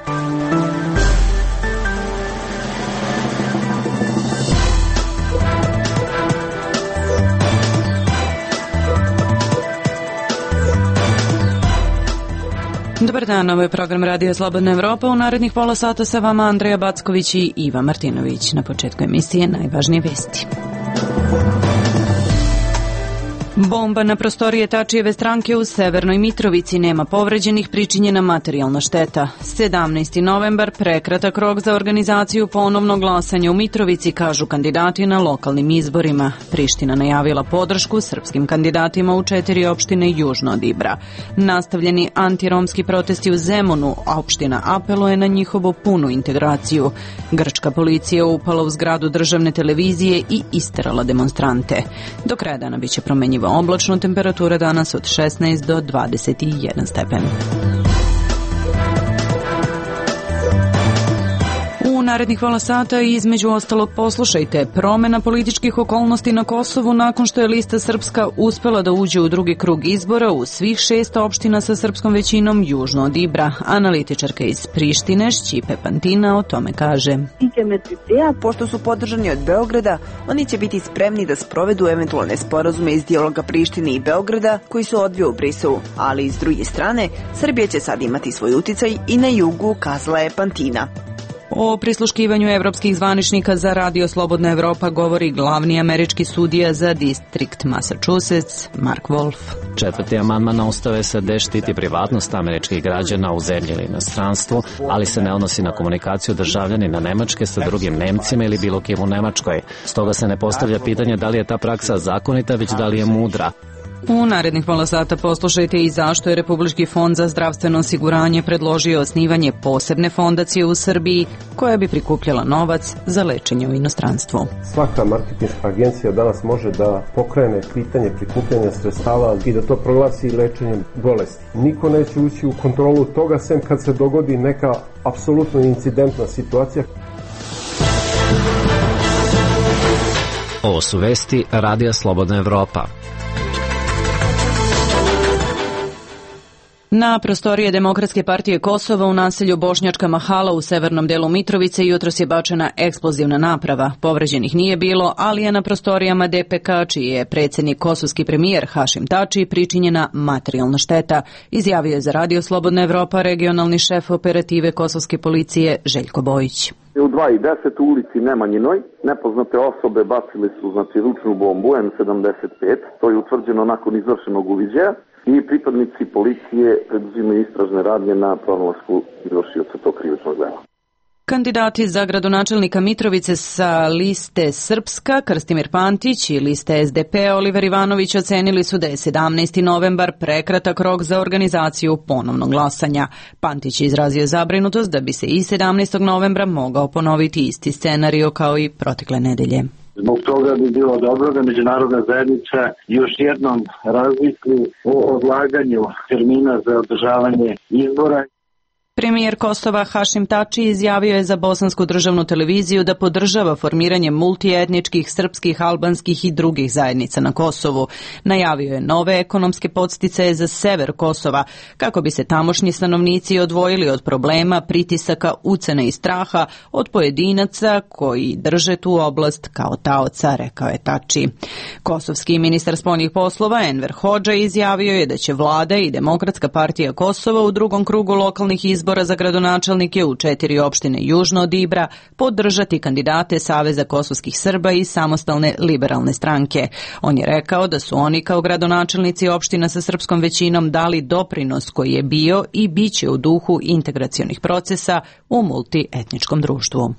Dobar dan, ovo je program Radio Slobodna Evropa. U narednih pola sata sa vama Andreja Backović i Iva Martinović. Na početku emisije najvažnije vesti. Bomba na prostorije Tačijeve stranke u Severnoj Mitrovici, nema povređenih, pričinjena materijalna šteta. 17. novembar, prekratak rok za organizaciju ponovnog glasanja u Mitrovici, kažu kandidati na lokalnim izborima. Priština najavila podršku srpskim kandidatima u 4 opštine južno od Ibra. Nastavljeni antiromski protesti u Zemunu, a opština apeluje na njihovu punu integraciju. Grčka policija upala u zgradu državne televizije i isterala demonstrante. Do kraja dana biće promenjiva oblačno, temperatura danas od 16 do 21 stepen. U narednih pola sata između ostalog poslušajte promena političkih okolnosti na Kosovu nakon što je lista Srpska uspela da uđe u drugi krug izbora u svih 6 opština sa srpskom većinom južno od Ibra. Analitičarka iz Prištine Šćipe Pantina o tome kaže: Pošto su podržani od Beograda, oni će biti spremni da sprovedu eventualne sporazume iz dijaloga Prištine i Beograda koji se odvio u Briselu, ali s druge strane, Srbija će sad imati svoj uticaj i na jugu, kazala je Pantina. O prisluškivanju evropskih zvaničnika za Radio Slobodna Evropa govori glavni američki sudija za distrikt Massachusetts, Mark Wolf. 4. amandman na Ustav SAD štiti privatnost američkih građana u zemlji ili inostranstvu, ali se ne odnosi na komunikaciju državljanina Nemačke sa drugim Nemcima ili bilo kim u Nemačkoj. Stoga se ne postavlja pitanje da li je ta praksa zakonita, već da li je mudra. U narednih pola sata poslušajte i zašto je Republički fond za zdravstveno osiguranje predložio osnivanje posebne fondacije u Srbiji koja bi prikupljala novac za lečenje u inostranstvu. Svaka marketinška agencija danas može da pokrene pitanje prikupljanja sredstava i da to proglasi lečenjem bolesti. Niko neće ući u kontrolu toga sem kad se dogodi neka apsolutno incidentna situacija. Ovo su vesti Radija Slobodna Evropa. Na prostorije Demokratske partije Kosova u naselju Bošnjačka Mahala u severnom delu Mitrovice jutros je bačena eksplozivna naprava. Povređenih nije bilo, ali je na prostorijama DPK, čiji je predsjednik kosovski premijer Hašim Tači, pričinjena materijalna šteta, izjavio je za Radio Slobodna Evropa regionalni šef operative kosovske policije Željko Bojić. U 2:10 u ulici Nemanjinoj nepoznate osobe bacili su ručnu bombu M75, to je utvrđeno nakon izvršenog uviđaja, i pripadnici policije preduzimaju istražne radnje na pronalasku izvršioca tog krivičnog dela. Kandidati za gradonačelnika Mitrovice sa liste Srpska, Krstimir Pantić, i liste SDP, Oliver Ivanović, ocenili su da je 17. novembar prekratak rok za organizaciju ponovnog glasanja. Pantić je izrazio zabrinutost da bi se i 17. novembra mogao ponoviti isti scenario kao i protekle nedelje. Zbog toga bi bilo dobro da međunarodna zajednica još jednom razmisli o odlaganju termina za održavanje izbora. Premijer Kosova Hašim Tači izjavio je za bosansku državnu televiziju da podržava formiranje multietničkih, srpskih, albanskih i drugih zajednica na Kosovu. Najavio je nove ekonomske podsticaje za sever Kosova, kako bi se tamošnji stanovnici odvojili od problema, pritisaka, ucene i straha od pojedinaca koji drže tu oblast kao taoca, rekao je Tači. Kosovski ministar spoljnih poslova Enver Hodža izjavio je da će vlada i Demokratska partija Kosova u drugom krugu lokalnih izbora za gradonačelnike u 4 opštine južno od Ibra podržati kandidate Saveza kosovskih Srba i Samostalne liberalne stranke. On je rekao da su oni kao gradonačelnici opština sa srpskom većinom dali doprinos koji je bio i biće u duhu integracionih procesa u multietničkom društvu.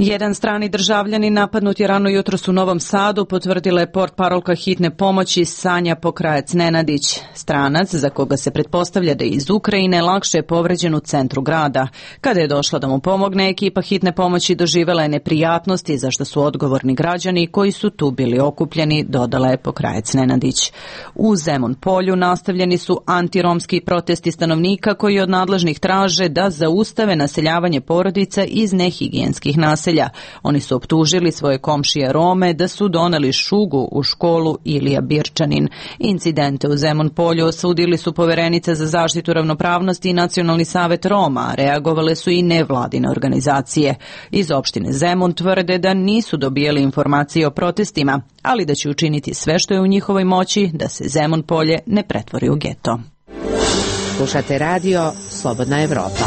Jedan strani državljanin napadnut je rano jutros u Novom Sadu, potvrdila je portparolka hitne pomoći Sanja Pokrajac-Nenadić. Stranac, za koga se pretpostavlja da je iz Ukrajine, lakše je povređen u centru grada. Kada je došla da mu pomogne, ekipa hitne pomoći doživela je neprijatnosti za što su odgovorni građani koji su tu bili okupljeni, dodala je Pokrajac-Nenadić. U Zemun polju nastavljeni su antiromski protesti stanovnika koji od nadležnih traže da zaustave naseljavanje porodica iz nehigijenskih naselja naselja. Oni su optužili svoje komšije Rome da su doneli šugu u školu Ilija Birčanin. Incidente u Zemun Polju osudili su Poverenica za zaštitu ravnopravnosti i Nacionalni savet Roma, a reagovale su i nevladine organizacije. Iz opštine Zemun tvrde da nisu dobijali informacije o protestima, ali da će učiniti sve što je u njihovoj moći da se Zemun Polje ne pretvori u geto. Slušate radio Slobodna Evropa.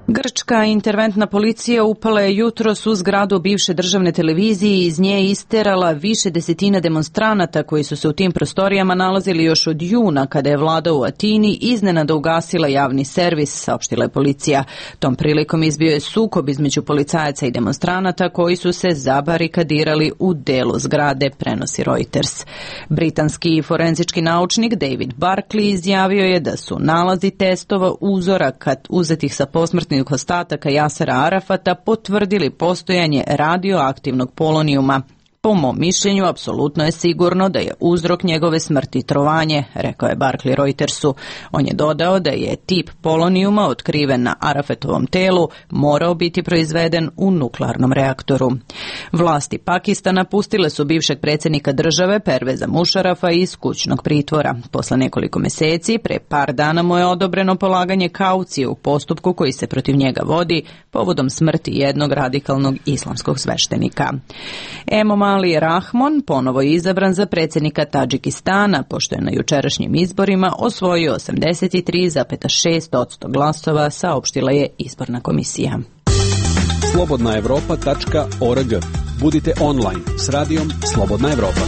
Grčka interventna policija upala je jutros u zgradu bivše državne televizije i iz nje isterala više desetina demonstranata koji su se u tim prostorijama nalazili još od juna kada je vlada u Atini iznenada ugasila javni servis, saopštila je policija. Tom prilikom izbio je sukob između policajaca i demonstranata koji su se zabarikadirali u delu zgrade, prenosi Reuters. Britanski forenzički naučnik David Barkley izjavio je da su nalazi testova uzoraka uzetih sa posmrtnih ostataka Jasera Arafata potvrdili postojanje radioaktivnog polonijuma. Po mom mišljenju, apsolutno je sigurno da je uzrok njegove smrti trovanje, rekao je Barkley Reutersu. On je dodao da je tip polonijuma otkriven na Arafatovom telu morao biti proizveden u nuklearnom reaktoru. Vlasti Pakistana pustile su bivšeg predsjednika države Perveza Mušarafa iz kućnog pritvora. Posle nekoliko meseci, pre par dana mu je odobreno polaganje kaucije u postupku koji se protiv njega vodi povodom smrti jednog radikalnog islamskog sveštenika. Ali Rahmon ponovo je izabran za predsjednika Tadžikistana, pošto je na jučerašnjim izborima osvojio 83,6% glasova, saopštila je izborna komisija. Slobodnaevropa.org. Budite online s radijom Slobodna Evropa.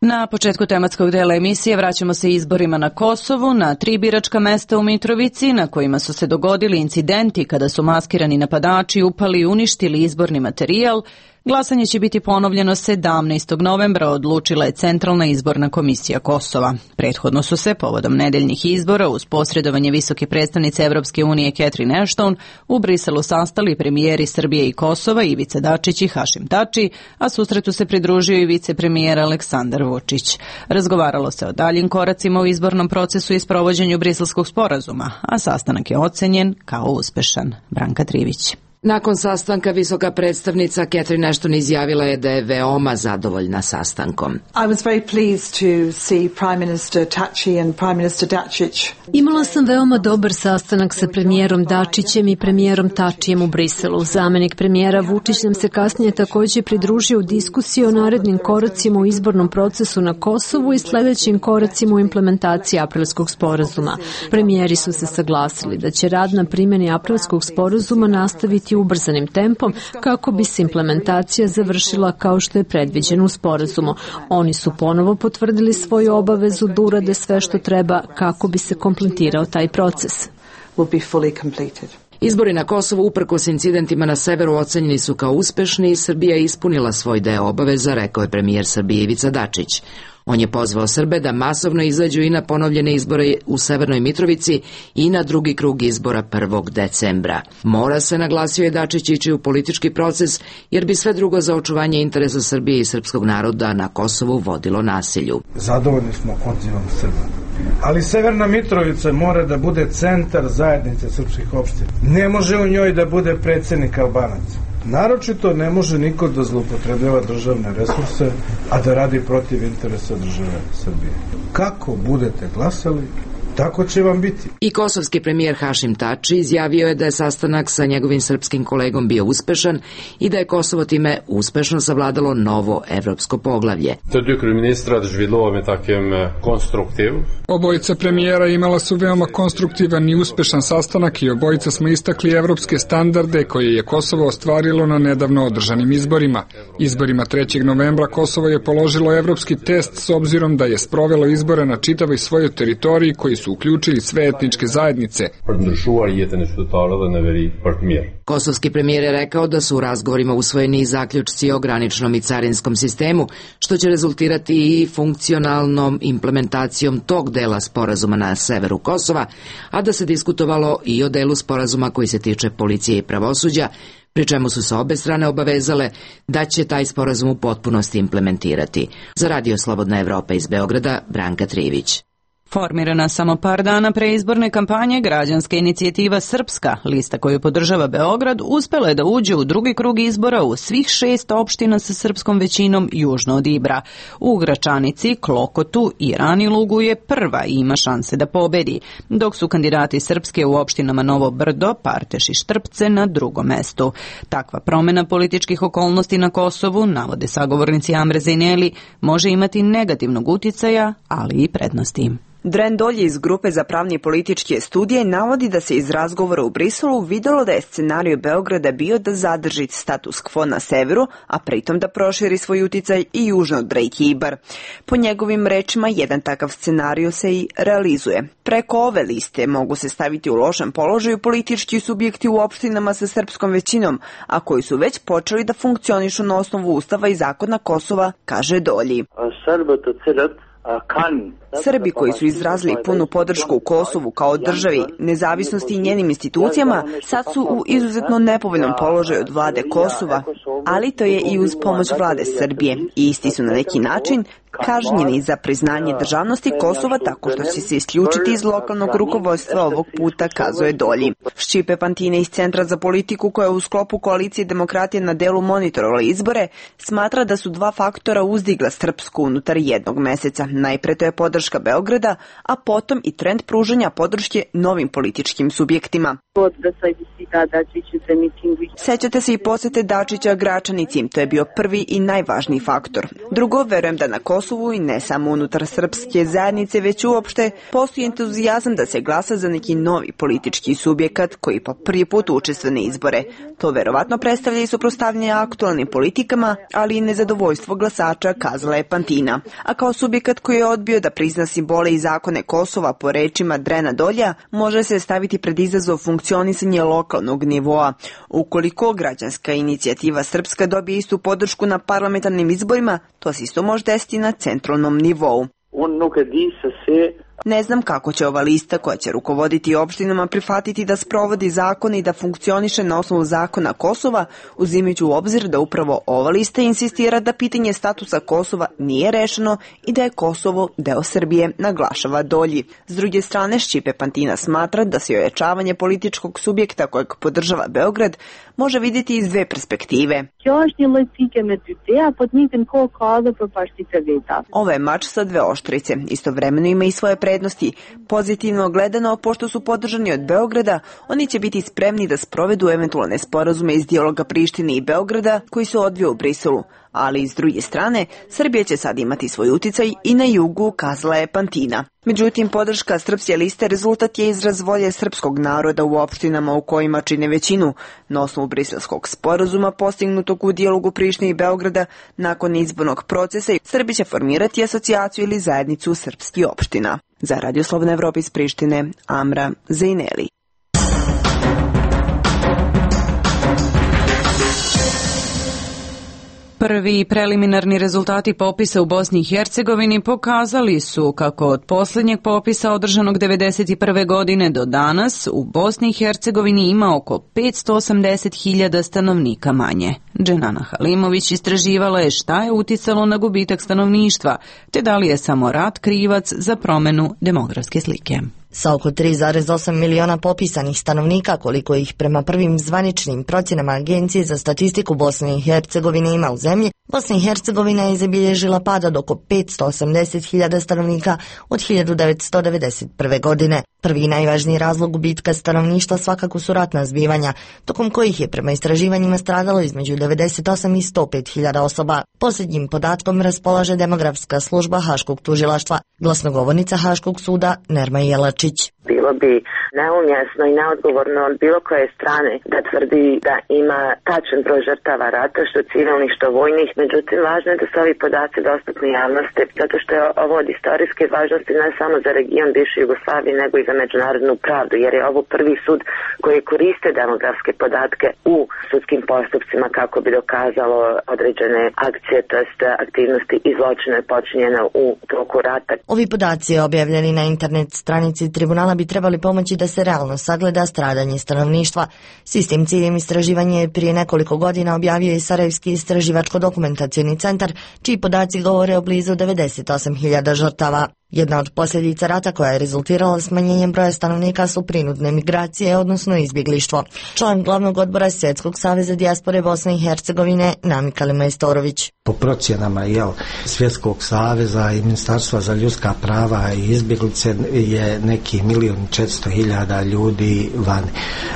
Na početku tematskog dela emisije vraćamo se izborima na Kosovu, na 3 biračka mesta u Mitrovici, na kojima su se dogodili incidenti kada su maskirani napadači upali i uništili izborni materijal. Glasanje će biti ponovljeno 17. novembra, odlučila je Centralna izborna komisija Kosova. Prethodno su se, povodom nedeljnih izbora, uz posredovanje visoke predstavnice Evropske unije Catherine Ashton, u Briselu sastali premijeri Srbije i Kosova Ivica Dačić i Hašim Tači, a susretu se pridružio i vicepremijer Aleksandar Vučić. Razgovaralo se o daljim koracima u izbornom procesu i sprovođenju Briselskog sporazuma, a sastanak je ocenjen kao uspešan. Branka Trivić. Nakon sastanka visoka predstavnica Catherine Ashton izjavila je da je veoma zadovoljna sastankom. Imala sam veoma dobar sastanak sa premijerom Dačićem i premijerom Tačijem u Briselu. Zamenik premijera Vučić nam se kasnije također pridružio u diskusiji o narednim koracima u izbornom procesu na Kosovu i sledećim koracima u implementaciji Aprilskog sporazuma. Premijeri su se saglasili da će rad na primjeni Aprilskog sporazuma nastaviti ubrzanim tempom kako bi se implementacija završila kao što je predviđeno u sporazumu. Oni su ponovo potvrdili svoju obavezu da urade sve što treba kako bi se kompletirao taj proces. Izbori na Kosovu uprkos incidentima na severu ocenjeni su kao uspešni i Srbija je ispunila svoj deo obaveza, rekao je premijer Srbije Ivica Dačić. On je pozvao Srbe da masovno izađu i na ponovljene izbore u Severnoj Mitrovici i na drugi krug izbora 1. decembra. Mora se, naglasio je Dačić, ići u politički proces, jer bi sve drugo za očuvanje interesa Srbije i srpskog naroda na Kosovu vodilo nasilju. Zadovoljni smo odzivom Srba. Ali Severna Mitrovica mora da bude centar zajednice srpskih opština. Ne može u njoj da bude predsjednik Albanaca. Naročito ne može niko da zloupotrebljava državne resurse, a da radi protiv interesa države Srbije. Kako budete glasali, tako će vam biti. I kosovski premijer Hašim Tači izjavio je da je sastanak sa njegovim srpskim kolegom bio uspešan i da je Kosovo time uspešno savladalo novo evropsko poglavlje. Obojica premijera imala su veoma konstruktivan i uspešan sastanak i obojica smo istakli evropske standarde koje je Kosovo ostvarilo na nedavno održanim izborima. Izborima 3. novembra Kosovo je položilo evropski test s obzirom da je sprovelo izbore na čitavoj svojoj teritoriji koji su uključili sve etničke zajednice. Kosovski premijer je rekao da su u razgovorima usvojeni zaključci o graničnom i carinskom sistemu, što će rezultirati i funkcionalnom implementacijom tog dela sporazuma na severu Kosova, a da se diskutovalo i o delu sporazuma koji se tiče policije i pravosuđa, pri čemu su se obe strane obavezale da će taj sporazum u potpunosti implementirati. Za Radio Slobodna Evropa iz Beograda, Branka Trivić. Formirana samo par dana pre izborne kampanje, građanska inicijativa Srpska, lista koju podržava Beograd, uspela je da uđe u drugi krug izbora u svih 6 opština sa srpskom većinom južno od Ibra. U Gračanici, Klokotu i Ranilugu je prva i ima šanse da pobedi, dok su kandidati Srpske u opštinama Novo Brdo, Parteš i Štrpce na drugom mestu. Takva promena političkih okolnosti na Kosovu, navode sagovornici Amre Zejneli, može imati negativnog uticaja, ali i prednosti. Dren Dolje iz Grupe za pravni i političke studije navodi da se iz razgovora u Briselu videlo da je scenario Beograda bio da zadrži status quo na severu, a pritom da proširi svoj uticaj i južno od reke Ibar. Po njegovim rečima, jedan takav scenario se i realizuje. Preko ove liste mogu se staviti u lošem položaju politički subjekti u opštinama sa srpskom većinom, a koji su već počeli da funkcionišu na osnovu Ustava i zakona Kosova, kaže Dolji. Srbi koji su izrazili punu podršku u Kosovu kao državi, nezavisnosti i njenim institucijama, sad su u izuzetno nepovoljnom položaju od vlade Kosova, ali to je i uz pomoć vlade Srbije. I isti su na neki način kažnjeni za priznanje državnosti Kosova tako što će se isključiti iz lokalnog rukovodstva ovog puta, kazuje Dolji. Šćipe Pantine iz Centra za politiku, koja u sklopu koalicije demokratije na delu monitorovala izbore, smatra da su dva faktora uzdigla Srpsku unutar jednog meseca. Najpre to je podrška Beograda, a potom i trend pružanja podrške novim političkim subjektima. Sećate se i posete Dačića Gračanici, to je bio prvi i najvažniji faktor. Drugo, verujem da na Kosovu i ne samo unutar srpske zajednice, već uopšte postoji entuzijazam da se glasa za neki novi politički subjekat koji po prvi put učestvuje na izbore. To verovatno predstavlja i suprotstavljanje aktualnim politikama, ali i nezadovoljstvo glasača, kazala je Pantina. A kao subjekat koji je odbio da prizna simbole i zakone Kosova, po rečima Drena Dolja, može se staviti pred izazov funkcionisanje lokalnog nivoa. Ukoliko građanska inicijativa Srpska dobije istu podršku na parlamentarnim izborima, to se isto može desiti na centralnom nivou. Ne znam kako će ova lista koja će rukovoditi opštinama prihvatiti da sprovodi zakone i da funkcioniše na osnovu zakona Kosova, uzimajući u obzir da upravo ova lista insistira da pitanje statusa Kosova nije rešeno i da je Kosovo deo Srbije, naglašava Dolji. S druge strane, Šćipe Pantina smatra da se ojačavanje političkog subjekta kojeg podržava Beograd može vidjeti iz dve perspektive. Ovo je mač sa dve oštrice. Istovremeno ima i svoje prednosti. Pozitivno gledano, pošto su podržani od Beograda, oni će biti spremni da sprovedu eventualne sporazume iz dijaloga Prištine i Beograda koji se odvio u Briselu. Ali s druge strane, Srbija će sad imati svoj uticaj i na jugu, kazala je Pantina. Međutim, podrška srpske liste rezultat je izraz volje srpskog naroda u opštinama u kojima čine većinu. Na osnovu briselskog sporazuma postignutog u dijalogu Prištine i Beograda, nakon izbornog procesa, Srbi će formirati asocijaciju ili zajednicu srpskih opština. Za Radio Slobodna Evropa iz Prištine, Amra Zejneli. Prvi preliminarni rezultati popisa u Bosni i Hercegovini pokazali su kako od posljednjeg popisa održanog 1991. godine do danas u Bosni i Hercegovini ima oko 580.000 stanovnika manje. Dženana Halimović istraživala je šta je uticalo na gubitak stanovništva, te da li je samo rat krivac za promenu demografske slike. Sa oko 3,8 miliona popisanih stanovnika, koliko ih prema prvim zvaničnim procjenama Agencije za statistiku Bosne i Hercegovine ima u zemlji, Bosna i Hercegovina je zabilježila pad od oko 580.000 stanovnika od 1991. godine. Prvi i najvažniji razlog gubitka stanovništva svakako su ratna zbivanja, tokom kojih je prema istraživanjima stradalo između 98 i 105.000 osoba. Posljednjim podatkom raspolaže demografska služba Haškog tužilaštva. Glasnogovornica Haškog suda Nerma Jelačić. Bilo bi neumjesno i neodgovorno od bilo koje strane da tvrdi da ima tačan broj žrtava rata, što civilnih, što vojnih. Međutim, važno je da su ovi podaci dostupni javnosti, zato što je ovo od istorijske važnosti ne samo za region bivše Jugoslavije, nego i za međunarodnu pravdu, jer je ovo prvi sud koji koriste demografske podatke u sudskim postupcima kako bi dokazalo određene akcije, to jest aktivnosti i zločine počinjene u toku rata. Ovi podaci objavljeni na internet stranici tribunala bi trebali pomoći da se realno sagleda stradanje stanovništva. S istim ciljem istraživanja je prije nekoliko godina objavio i Sarajevski istraživačko-dokumentacioni centar, čiji podaci govore o blizu 98.000 žrtava. Jedna od posljedica rata koja je rezultirala smanjenjem broja stanovnika su prinudne migracije, odnosno izbjeglištvo. Član glavnog odbora Svjetskog saveza dijaspore Bosne i Hercegovine Namika Majstorović. Po procjenama Svjetskog saveza i Ministarstva za ljudska prava i izbjeglice je neki 1.400.000 ljudi vani.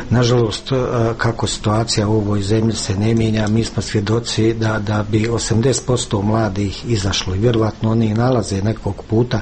Nažalost, kako situacija u ovoj zemlji se ne mijenja, mi smo svjedoci da bi 80% mladih izašlo i vjerovatno oni nalaze nekog puta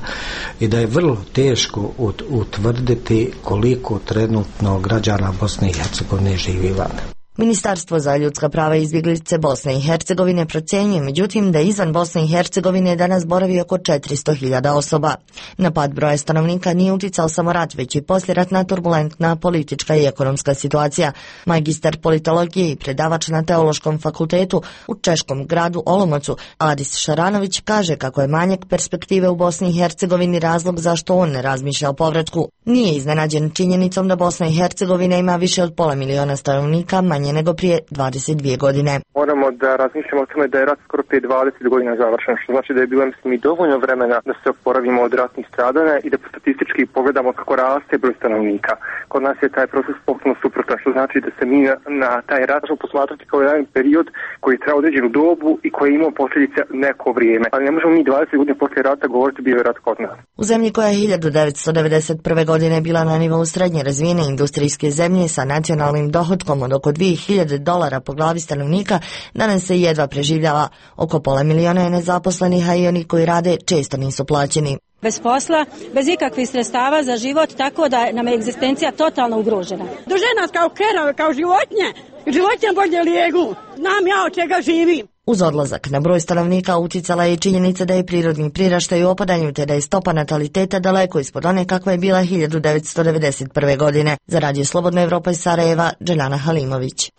i da je vrlo teško utvrditi koliko trenutno građana Bosne i Hercegovine živi van. Ministarstvo za ljudska prava i izbjeglice Bosne i Hercegovine procjenjuje međutim da izvan Bosne i Hercegovine danas boravi oko 400.000 osoba. Na pad broja stanovnika nije uticao samo rat, već i poslijeratna turbulentna politička i ekonomska situacija. Magistar politologije i predavač na Teološkom fakultetu u češkom gradu Olomoucu Adis Šaranović kaže kako je manjak perspektive u Bosni i Hercegovini razlog zašto on ne razmišlja o povratku. Nije iznenađen činjenicom da Bosna i Hercegovina ima više od 500.000 stanovnika, manje nego prije 22 godine. Moramo da razmišljamo o tome da je rat skoro prije 20 godina završen, što znači da je bilo i dovoljno vremena da se oporavimo od ratnih stradanja i da statistički pogledamo kako raste broj stanovnika. Kod nas je taj proces potpuno suprotan, što znači da se mi na taj rat možemo posmatrati kao jedan period koji je trajao određenu dobu i koji je imao posljedice neko vrijeme. Ali ne možemo mi 20 godina poslije rata govoriti bio je rat kod nas. U zemlji koja je 1991. godine bila na nivou srednje razvijene industrijske zemlje sa nacionalnim dohotkom od oko $2.000 po glavi stanovnika, danas se jedva preživljava. Oko 500.000 je nezaposlenih, a i oni koji rade često nisu plaćeni. Bez posla, bez ikakvih sredstava za život, tako da nam je egzistencija totalno ugrožena. Drže nas kao kerove, kao životinje. Životinje bolje lijegu. Znam ja od čega živim. Uz odlazak na broj stanovnika uticala je i činjenica da je prirodni priraštaj u opadanju te da je stopa nataliteta daleko ispod one kakva je bila 1991. godine. Za Radio Slobodna Evropa iz Sarajeva, Dželjana Halimović.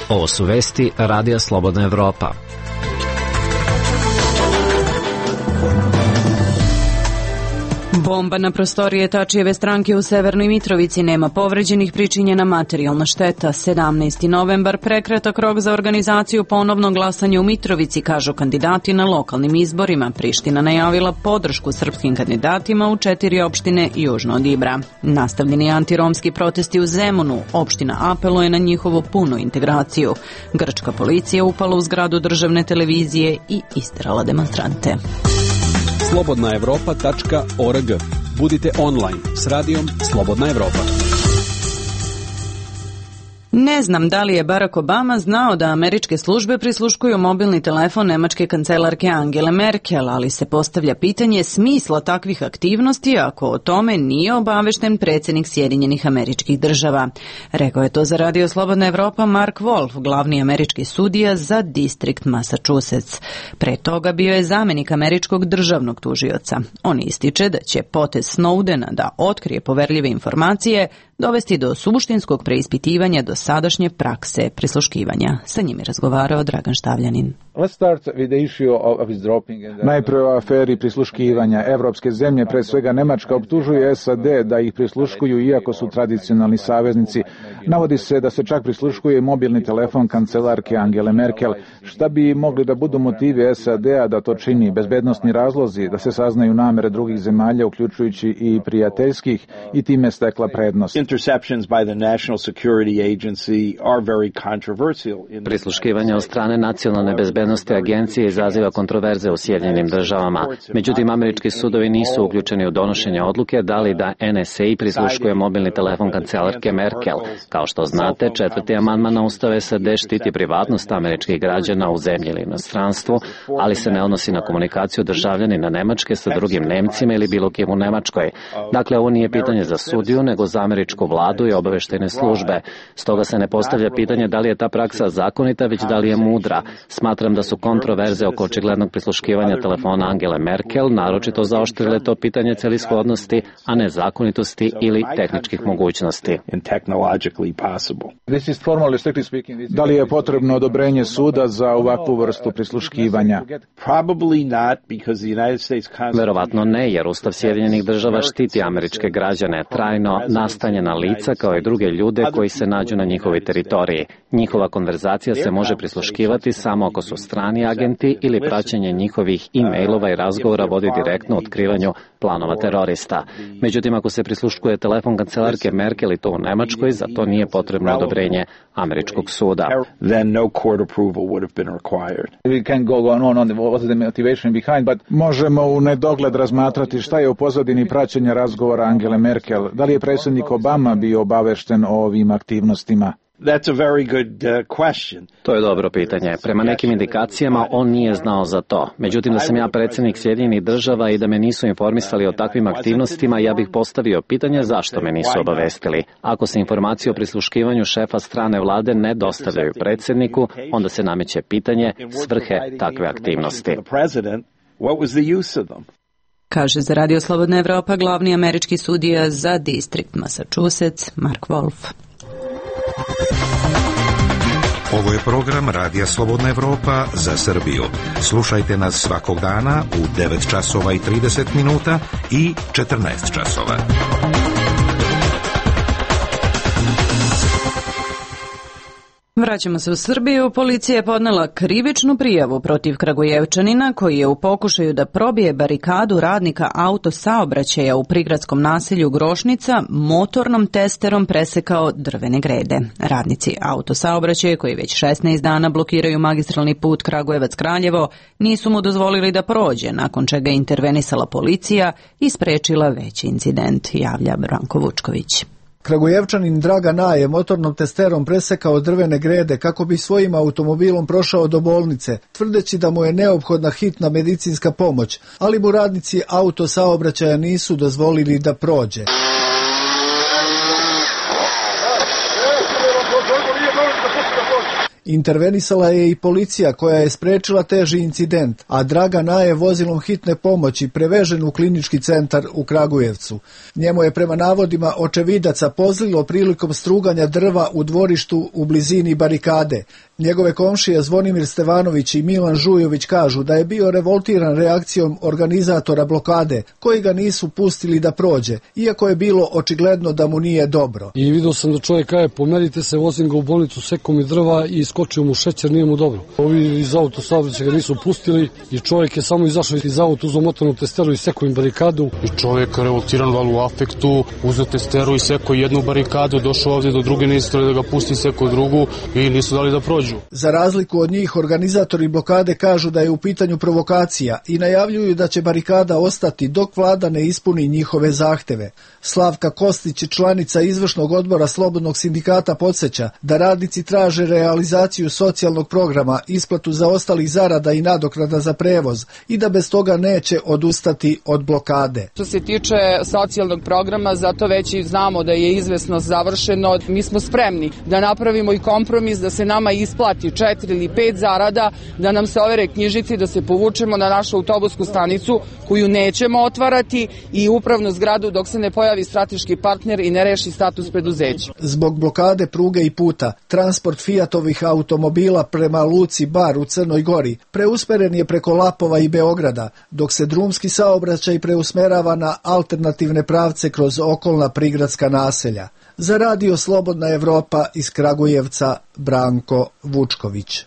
Ovo su vesti Radija Slobodna Evropa. Bomba na prostorije Tačijeve stranke u Severnoj Mitrovici, nema povređenih, pričinjena materijalna šteta. 17. novembar, prekratak rok za organizaciju ponovnog glasanja u Mitrovici, kažu kandidati na lokalnim izborima. Priština najavila podršku srpskim kandidatima u 4 opštine južno od Ibra. Nastavljeni antiromski protesti u Zemunu, opština apeluje na njihovu punu integraciju. Grčka policija upala u zgradu državne televizije i isterala demonstrante. slobodnaevropa.org. Budite online s radijom Slobodna Evropa. Ne znam da li je Barack Obama znao da američke službe prisluškuju mobilni telefon nemačke kancelarke Angele Merkel, ali se postavlja pitanje smisla takvih aktivnosti ako o tome nije obavešten predsjednik Sjedinjenih Američkih Država. Rekao je to za Radio Slobodna Evropa Mark Wolf, glavni američki sudija za distrikt Massachusetts. Pre toga bio je zamjenik američkog državnog tužioca. On ističe da će potez Snowdena da otkrije poverljive informacije dovesti do suštinskog preispitivanja dosadašnje prakse prisluškivanja. Sa njim je razgovarao Dragan Štavljanin. Najprije o aferi prisluškivanja. Evropske zemlje, pre svega Nemačka, optužuje SAD da ih prisluškuju iako su tradicionalni saveznici. Navodi se da se čak prisluškuje mobilni telefon kancelarke Angele Merkel. Šta bi mogli da budu motivi SAD-a da to čini? Bezbednosni razlozi, da se saznaju namere drugih zemalja, uključujući i prijateljskih, i time stekla prednost. Prisluškivanje od strane nacionalne bezbednosti agencije izaziva kontroverze u Sjedinjenim Državama. Međutim, američki sudovi nisu uključeni u donošenje odluke da li da NSA prisluškuje mobilni telefon kancelarke Merkel. Kao što znate, 4. amandman na Ustav SAD štiti privatnost američkih građana u zemlji ili inostranstvu, ali se ne odnosi na komunikaciju državljanina Nemačke sa drugim Nemcima ili bilo kim u Nemačkoj. Dakle, ovo nije pitanje za sudiju, nego za američku vladu i obaveštajne službe. Stoga se ne postavlja pitanje da li je ta praksa zakonita, već da li je mudra. Smatram da su kontroverze oko očiglednog prisluškivanja telefona Angele Merkel naročito zaoštrile to pitanje celishodnosti, a ne zakonitosti ili tehničkih mogućnosti. Da li je potrebno odobrenje suda za ovakvu vrstu prisluškivanja? Verovatno ne, jer Ustav Sjedinjenih Država štiti američke građane, trajno nastanjena lica kao i druge ljude koji se nađu na njihovoj teritoriji. Njihova konverzacija se može prisluškivati samo ako su strani agenti ili praćenje njihovih e-mailova i razgovora vodi direktno otkrivanju planova terorista. Međutim, ako se prisluškuje telefon kancelarke Merkel i to u Nemačkoj, za to nije potrebno odobrenje američkog suda. Možemo u nedogled razmatrati šta je u pozadini praćenja razgovora Angele Merkel. Da li je predsjednik Obama bio obavešten o ovim aktivnostima? To je dobro pitanje. Prema nekim indikacijama on nije znao za to. Međutim, da sam ja predsjednik Sjedinjenih Država i da me nisu informisali o takvim aktivnostima, ja bih postavio pitanje zašto me nisu obavestili. Ako se informacije o prisluškivanju šefa strane vlade ne dostavljaju predsjedniku, onda se nameće pitanje svrhe takve aktivnosti. Kaže za Radio Slobodna Evropa glavni američki sudija za distrikt Massachusetts, Mark Wolf. Ovo je program Radija Slobodna Evropa za Srbiju. Slušajte nas svakog dana u 9 časova i 30 minuta i 14 časova. Vraćamo se u Srbiju. Policija je podnela krivičnu prijavu protiv Kragujevčanina koji je u pokušaju da probije barikadu radnika autosaobraćaja u prigradskom naselju Grošnica motornom testerom presekao drvene grede. Radnici autosaobraćaja koji već 16 dana blokiraju magistralni put Kragujevac-Kraljevo nisu mu dozvolili da prođe, nakon čega je intervenisala policija i sprečila veći incident, javlja Branko Vučković. Kragujevčanin Dragan A. je motornom testerom presekao drvene grede kako bi svojim automobilom prošao do bolnice, tvrdeći da mu je neophodna hitna medicinska pomoć, ali mu radnici autosaobraćaja nisu dozvolili da prođe. Intervenisala je i policija koja je sprečila teži incident, a Dragan A. je vozilom hitne pomoći prevežen u klinički centar u Kragujevcu. Njemu je prema navodima očevidaca pozlilo prilikom struganja drva u dvorištu u blizini barikade. Njegove komšije Zvonimir Stevanović i Milan Žujović kažu da je bio revoltiran reakcijom organizatora blokade, koji ga nisu pustili da prođe, iako je bilo očigledno da mu nije dobro. I vidio sam da čovjek kaže pomerite se, vozim ga u bolnicu, sekao mi drva i skočio mu šećer, nije mu dobro. Ovi iz autosaobraćaja ga nisu pustili i čovjek je samo izašao iz auta, uzeo motornu testeru i sekao im barikadu. I čovjek revoltiran, valjda u afektu, uzeo testeru i sekao jednu barikadu, došao ovdje do druge, nisu da ga pusti, sekao drugu i nisu dali da prođu. Za razliku od njih, organizatori blokade kažu da je u pitanju provokacija i najavljuju da će barikada ostati dok vlada ne ispuni njihove zahteve. Slavka Kostić, članica izvršnog odbora Slobodnog sindikata, podsjeća da radnici traže realizaciju socijalnog programa, isplatu zaostalih zarada i nadoknada za prevoz i da bez toga neće odustati od blokade. Što se tiče socijalnog programa, zato već i znamo da je izvesnost završeno. Mi smo spremni da napravimo i kompromis da se nama isplati 4 ili 5 zarada, da nam se overe knjižici, da se povučemo na našu autobusku stanicu koju nećemo otvarati i upravnu zgradu dok se ne pojavi strateški partner i ne reši status preduzeća. Zbog blokade pruge i puta, transport Fiatovih automobila prema luci Bar u Crnoj Gori preusmeren je preko Lapova i Beograda, dok se drumski saobraćaj preusmerava na alternativne pravce kroz okolna prigradska naselja. Za Radio Slobodna Evropa iz Kragujevca, Branko Vučković.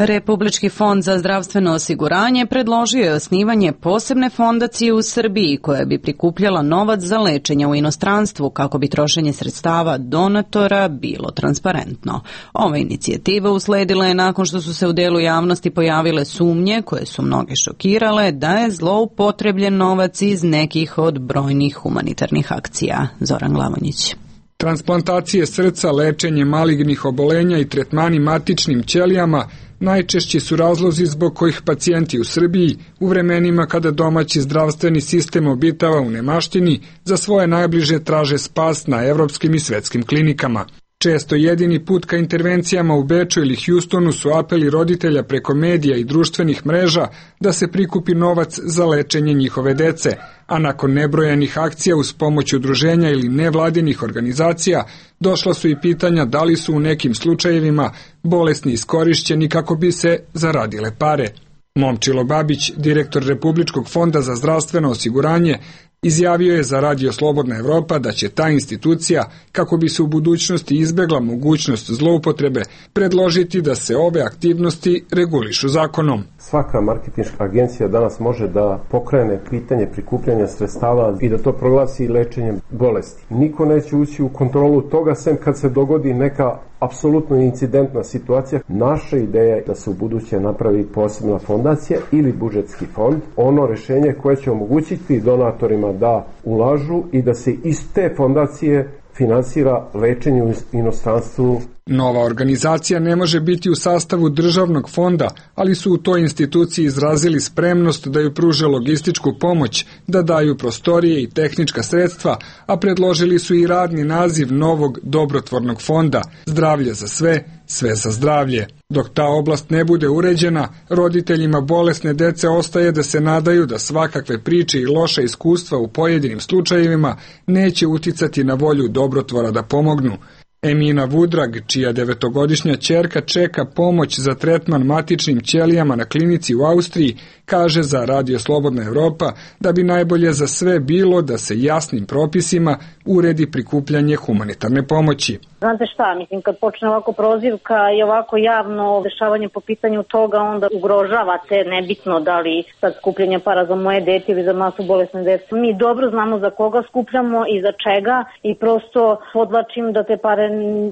Republički fond za zdravstveno osiguranje predložio je osnivanje posebne fondacije u Srbiji koja bi prikupljala novac za lečenje u inostranstvu kako bi trošenje sredstava donatora bilo transparentno. Ova inicijativa usledila je nakon što su se u delu javnosti pojavile sumnje koje su mnoge šokirale da je zloupotrebljen novac iz nekih od brojnih humanitarnih akcija. Zoran Glavonjić. Transplantacije srca, lečenje malignih obolenja i tretmani matičnim ćelijama najčešći su razlozi zbog kojih pacijenti u Srbiji u vremenima kada domaći zdravstveni sistem obitava u nemaštini za svoje najbliže traže spas na evropskim i svetskim klinikama. Često jedini put ka intervencijama u Beču ili Hjustonu su apeli roditelja preko medija i društvenih mreža da se prikupi novac za lečenje njihove dece, a nakon nebrojanih akcija uz pomoć udruženja ili nevladinih organizacija došla su i pitanja da li su u nekim slučajevima bolesni iskorišćeni kako bi se zaradile pare. Momčilo Babić, direktor Republičkog fonda za zdravstveno osiguranje, izjavio je za Radio Slobodna Evropa da će ta institucija, kako bi se u budućnosti izbegla mogućnost zloupotrebe, predložiti da se ove aktivnosti regulišu zakonom. Svaka marketinška agencija danas može da pokrene pitanje prikupljanja sredstava i da to proglasi lečenjem bolesti. Niko neće ući u kontrolu toga sem kad se dogodi neka apsolutno incidentna situacija. Naša ideja je da se u buduće napravi posebna fondacija ili budžetski fond, ono rešenje koje će omogućiti donatorima da ulažu i da se iz te fondacije finansira lečenje u inostranstvu. Nova organizacija ne može biti u sastavu državnog fonda, ali su u toj instituciji izrazili spremnost da ju pruže logističku pomoć, da daju prostorije i tehnička sredstva, a predložili su i radni naziv novog dobrotvornog fonda Zdravlje za sve, sve za zdravlje. Dok ta oblast ne bude uređena, roditeljima bolesne dece ostaje da se nadaju da svakakve priče i loša iskustva u pojedinim slučajevima neće uticati na volju dobrotvora da pomognu. Emina Vudrag, čija 9-godišnja ćerka čeka pomoć za tretman matičnim ćelijama na klinici u Austriji, kaže za Radio Slobodna Evropa da bi najbolje za sve bilo da se jasnim propisima uredi prikupljanje humanitarne pomoći. Znate šta, mislim, kad počne ovako prozivka i ovako javno dešavanje po pitanju toga, onda ugrožavate, nebitno da li sad skupljanje para za moje dete ili za masu bolesne dece. Mi dobro znamo za koga skupljamo i za čega i prosto podlačim da te pare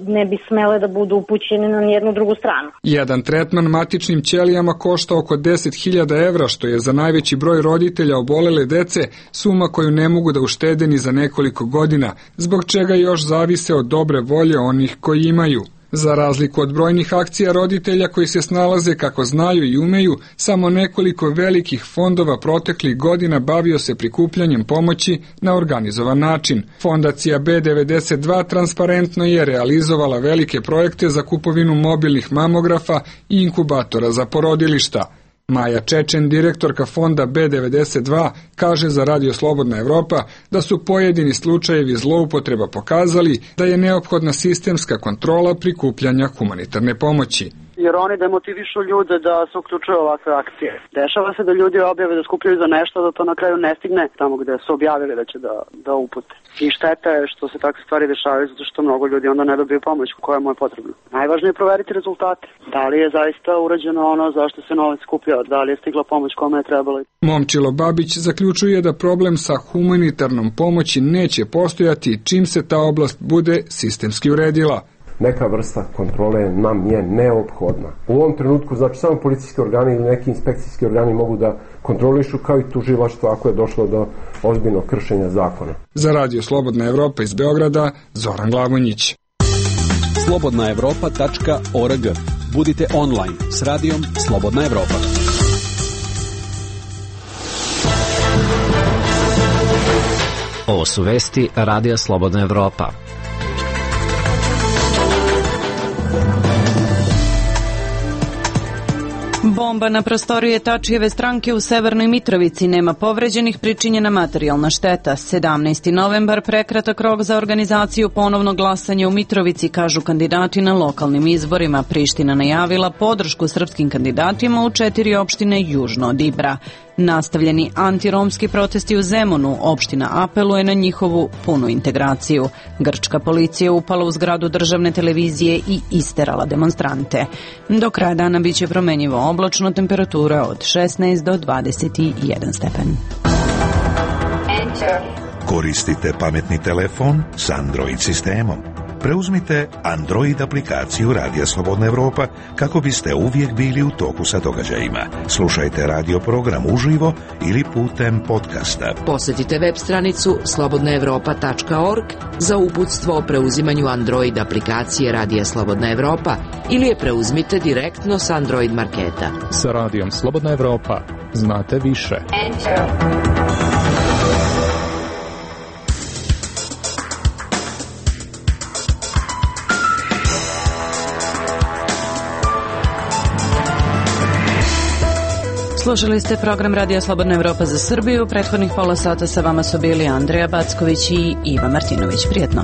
ne bi smele da budu upućene na jednu drugu stranu. Jedan tretman matičnim ćelijama košta oko 10.000 evra, što je za najveći broj roditelja obolele dece suma koju ne mogu da uštede ni za nekoliko godina, zbog čega još zavise od dobre volje onih koji imaju. Za razliku od brojnih akcija roditelja koji se snalaze kako znaju i umeju, samo nekoliko velikih fondova proteklih godina bavio se prikupljanjem pomoći na organizovan način. Fondacija B92 transparentno je realizovala velike projekte za kupovinu mobilnih mamografa i inkubatora za porodilišta. Maja Čečen, direktorka fonda B92, kaže za Radio Slobodna Evropa da su pojedini slučajevi zloupotreba pokazali da je neophodna sistemska kontrola prikupljanja humanitarne pomoći. Jer oni demotivišu ljude da se uključuju ovakve akcije. Dešava se da ljudi objave da skupljaju za nešto, da to na kraju ne stigne tamo gde su objavili da će da upute. I šteta je što se takve stvari dešavaju, zato što mnogo ljudi onda ne dobiju pomoć koja mu je potrebna. Najvažnije je proveriti rezultate. Da li je zaista urađeno ono zašto se novac skupljao, da li je stigla pomoć kome je trebalo. Momčilo Babić zaključuje da problem sa humanitarnom pomoći neće postojati čim se ta oblast bude sistemski uredila. Neka vrsta kontrole nam je neophodna. U ovom trenutku, znači, samo policijski organi ili neki inspekcijski organi mogu da kontrolišu, kao i tužilaštvo ako je došlo do ozbiljnog kršenja zakona. Za Radio Slobodna Evropa iz Beograda, Zoran Glavonjić. slobodnaevropa.org. Budite online s radijom Slobodna Evropa. Ovo su vesti Radija Slobodna Evropa. Bomba na prostorije Tačijeve stranke u Severnoj Mitrovici, nema povređenih, pričinjena materijalna šteta. 17. novembar, prekratak rok za organizaciju ponovnog glasanja u Mitrovici, kažu kandidati na lokalnim izborima. Priština najavila podršku srpskim kandidatima u 4 opštine južno od Ibra. Nastavljeni antiromski protesti u Zemunu, opština apeluje na njihovu punu integraciju. Grčka policija upala u zgradu državne televizije i isterala demonstrante. Do kraja dana biće promenjivo oblačno, temperatura od 16 do 21 stepen. Koristite pametni telefon s Android sistemom. Preuzmite Android aplikaciju Radija Slobodna Evropa kako biste uvijek bili u toku sa događajima. Slušajte radio program uživo ili putem podcasta. Posjetite web stranicu slobodnaevropa.org za uputstvo o preuzimanju Android aplikacije Radija Slobodna Evropa ili je preuzmite direktno s Android marketa. Sa Radijom Slobodna Evropa znate više. Slušali ste program Radio Slobodna Evropa za Srbiju. Prethodnih pola sata sa vama su bili Andreja Backović i Iva Martinović. Prijetno.